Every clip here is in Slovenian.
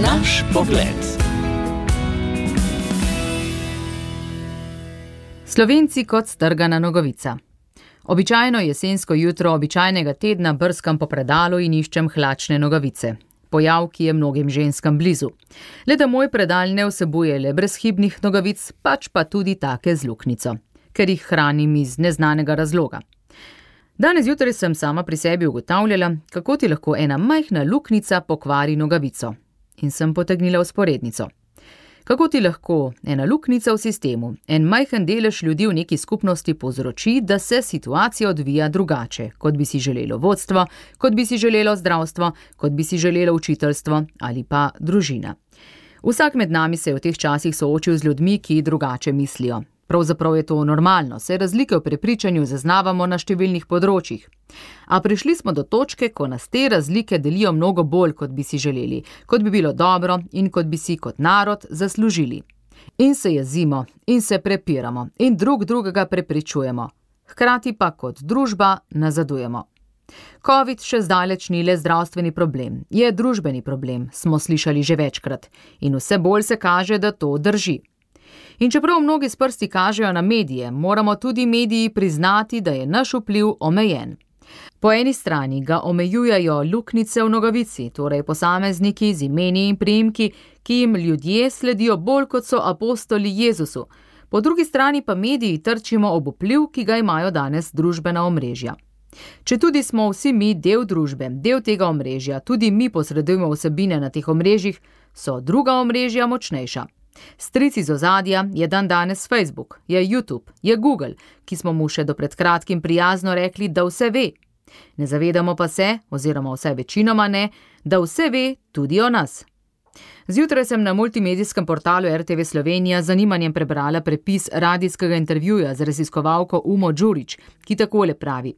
Naš pogled. Slovenci kot strgana nogavica. Običajno jesensko jutro običajnega tedna brskam po predalu in iščem hlačne nogavice. Pojav, ki je mnogim ženskam blizu. Le da moj predal ne vsebuje le brezhibnih nogavic, pač pa tudi take z luknjico, ker jih hranim iz neznanega razloga. Danes zjutraj sem sama pri sebi ugotavljala, kako ti lahko ena majhna luknjica pokvari nogavico. In sem potegnila vzporednico. Kako ti lahko ena luknjica v sistemu, en majhen delež ljudi v neki skupnosti povzroči, da se situacija odvija drugače, kot bi si želelo vodstvo, kot bi si želelo zdravstvo, kot bi si želelo učiteljstvo ali pa družina. Vsak med nami se je v teh časih soočil z ljudmi, ki drugače mislijo. Pravzaprav je to normalno, saj razlike v prepričanju zaznavamo na številnih področjih. A prišli smo do točke, ko nas te razlike delijo mnogo bolj, kot bi si želeli, kot bi bilo dobro in kot bi si kot narod zaslužili. In se jezimo, in se prepiramo, in drug drugega prepričujemo. Hkrati pa kot družba nazadujemo. Covid še zdaleč ni le zdravstveni problem, je družbeni problem, smo slišali že večkrat. In vse bolj se kaže, da to drži. In čeprav mnogi s prsti kažejo na medije, moramo tudi mediji priznati, da je naš vpliv omejen. Po eni strani ga omejujejo luknjice v nogavici, torej posamezniki z imeni in priimki, ki jim ljudje sledijo bolj kot so apostoli Jezusu. Po drugi strani pa mediji trčimo ob vpliv, ki ga imajo danes družbena omrežja. Četudi smo vsi mi del družbe, del tega omrežja, tudi mi posredujemo vsebine na teh omrežjih, so druga omrežja močnejša. Stric iz ozadja je dandanes Facebook, je YouTube, je Google, ki smo mu še do pred kratkim prijazno rekli, da vse ve. Ne zavedamo pa se, oziroma vsaj večinoma ne, da vse ve tudi o nas. Zjutraj sem na multimedijskem portalu RTV Slovenija z zanimanjem prebrala prepis radijskega intervjuja z raziskovalko Umo Đurić, ki takole pravi.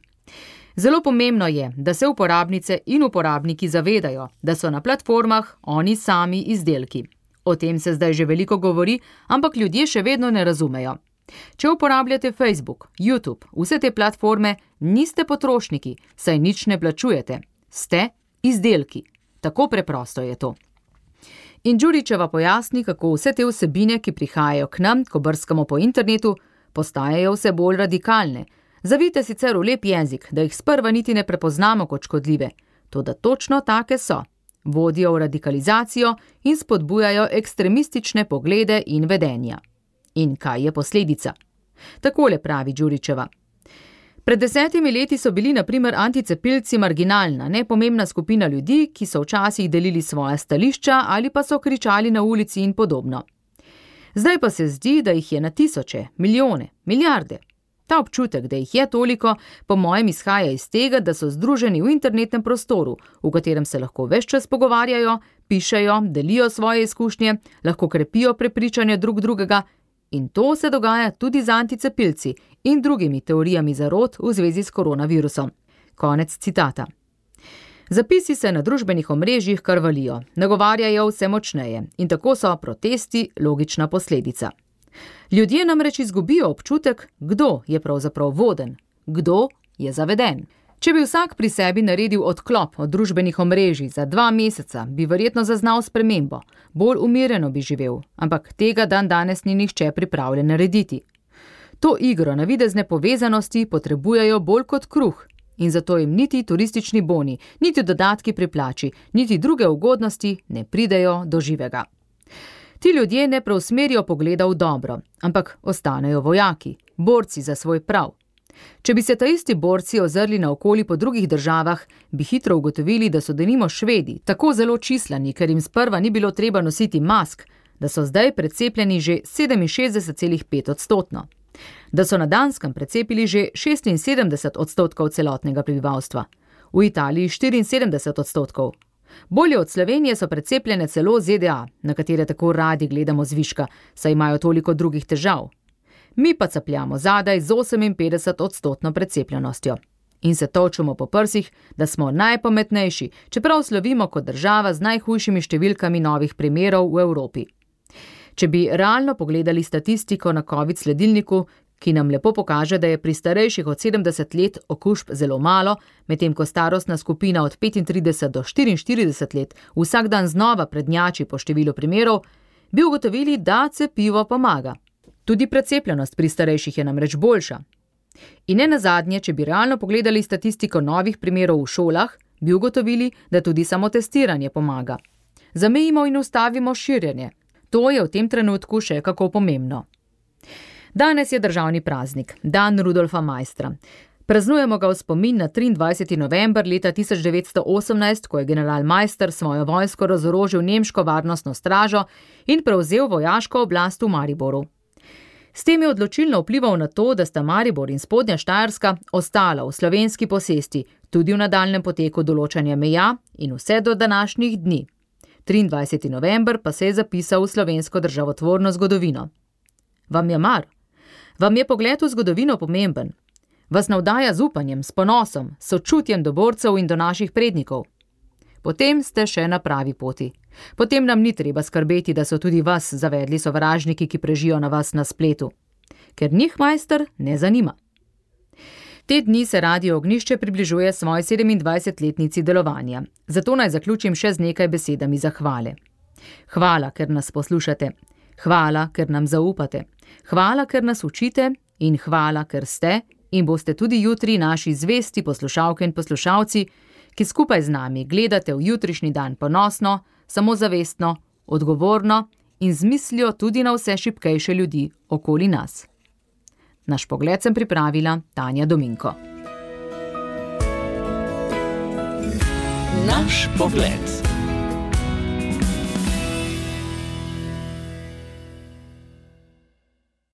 Zelo pomembno je, da se uporabnice in uporabniki zavedajo, da so na platformah oni sami izdelki. O tem se zdaj že veliko govori, ampak ljudje še vedno ne razumejo. Če uporabljate Facebook, YouTube, vse te platforme, niste potrošniki, saj nič ne plačujete. Ste izdelki. Tako preprosto je to. In Đurićeva pojasni, kako vse te vsebine, ki prihajajo k nam, ko brskamo po internetu, postajajo vse bolj radikalne. Zavite sicer v lep jezik, da jih sprva niti ne prepoznamo kot škodljive, toda točno take so. Vodijo v radikalizacijo in spodbujajo ekstremistične poglede in vedenja. In kaj je posledica? Takole pravi Đurićeva. Pred 10 leti so bili na primer anticepilci marginalna, nepomembna skupina ljudi, ki so včasih delili svoja stališča ali pa so kričali na ulici in podobno. Zdaj pa se zdi, da jih je na tisoče, milijone, milijarde. Ta občutek, da jih je toliko, po mojem izhaja iz tega, da so združeni v internetnem prostoru, v katerem se lahko ves čas pogovarjajo, pišejo, delijo svoje izkušnje, lahko krepijo prepričanje drug drugega in to se dogaja tudi z anticepilci in drugimi teorijami zarot v zvezi s koronavirusom. Konec citata. Zapisi se na družbenih omrežjih kar valijo, nagovarjajo vse močneje in tako so protesti logična posledica. Ljudje namreč izgubijo občutek, kdo je pravzaprav voden, kdo je zaveden. Če bi vsak pri sebi naredil odklop od družbenih omrežij za 2 meseca, bi verjetno zaznal spremembo, bolj umirjeno bi živel, ampak tega dandanes ni nihče pripravljen narediti. To igro navidezne povezanosti potrebujejo bolj kot kruh in zato jim niti turistični boni, niti dodatki pri plači, niti druge ugodnosti ne pridejo do živega. Ti ljudje ne preusmerijo pogleda v dobro, ampak ostanejo vojaki, borci za svoj prav. Če bi se ta isti borci ozrli naokoli po drugih državah, bi hitro ugotovili, da so denimo Švedi tako zelo čislani, ker jim sprva ni bilo treba nositi mask, da so zdaj precepljeni že 67,5%. Da so na Danskem precepili že 76% celotnega prebivalstva, v Italiji 74%. Bolje od Slovenije so precepljene celo ZDA, na katere tako radi gledamo zviška, saj imajo toliko drugih težav. Mi pa capljamo zadaj z 58% precepljenostjo. In se točimo po prsih, da smo najpametnejši, čeprav slovimo kot država z najhujšimi številkami novih primerov v Evropi. Če bi realno pogledali statistiko na COVID sledilniku, ki nam lepo pokaže, da je pri starejših od 70 let okužb zelo malo, medtem ko starostna skupina od 35 do 44 let vsak dan znova prednjači po številu primerov, bi ugotovili, da cepivo pomaga. Tudi precepljenost pri starejših je namreč boljša. In ne nazadnje, če bi realno pogledali statistiko novih primerov v šolah, bi ugotovili, da tudi samotestiranje pomaga. Zamejimo in ustavimo širjenje. To je v tem trenutku še kako pomembno. Danes je državni praznik, dan Rudolfa Maistra. Praznujemo ga v spomin na 23. november leta 1918, ko je general Maister svojo vojsko razorožil nemško varnostno stražo in prevzel vojaško oblast v Mariboru. S tem je odločilno vplival na to, da sta Maribor in Spodnja Štajerska ostala v slovenski posesti, tudi v nadaljnjem poteku določanja meja in vse do današnjih dni. 23. november pa se je zapisal v slovensko državotvorno zgodovino. Vam je mar? Vam je pogled v zgodovino pomemben? Vas navdaja z upanjem, s ponosom, sočutjem do borcev in do naših prednikov? Potem ste še na pravi poti. Potem nam ni treba skrbeti, da so tudi vas zavedli sovražniki, ki prežijo na vas na spletu. Ker njih Maister ne zanima. Te dni se Radio Ognjišče približuje svoji 27-letnici delovanja. Zato naj zaključim še z nekaj besedami zahvale. Hvala, ker nas poslušate. Hvala, ker nam zaupate. Hvala, ker nas učite in hvala, ker ste in boste tudi jutri naši zvesti poslušalke in poslušalci, ki skupaj z nami gledate v jutrišnji dan ponosno, samozavestno, odgovorno in z mislijo tudi na vse šibkejše ljudi okoli nas. Naš pogled sem pripravila Tanja Dominko. Naš pogled.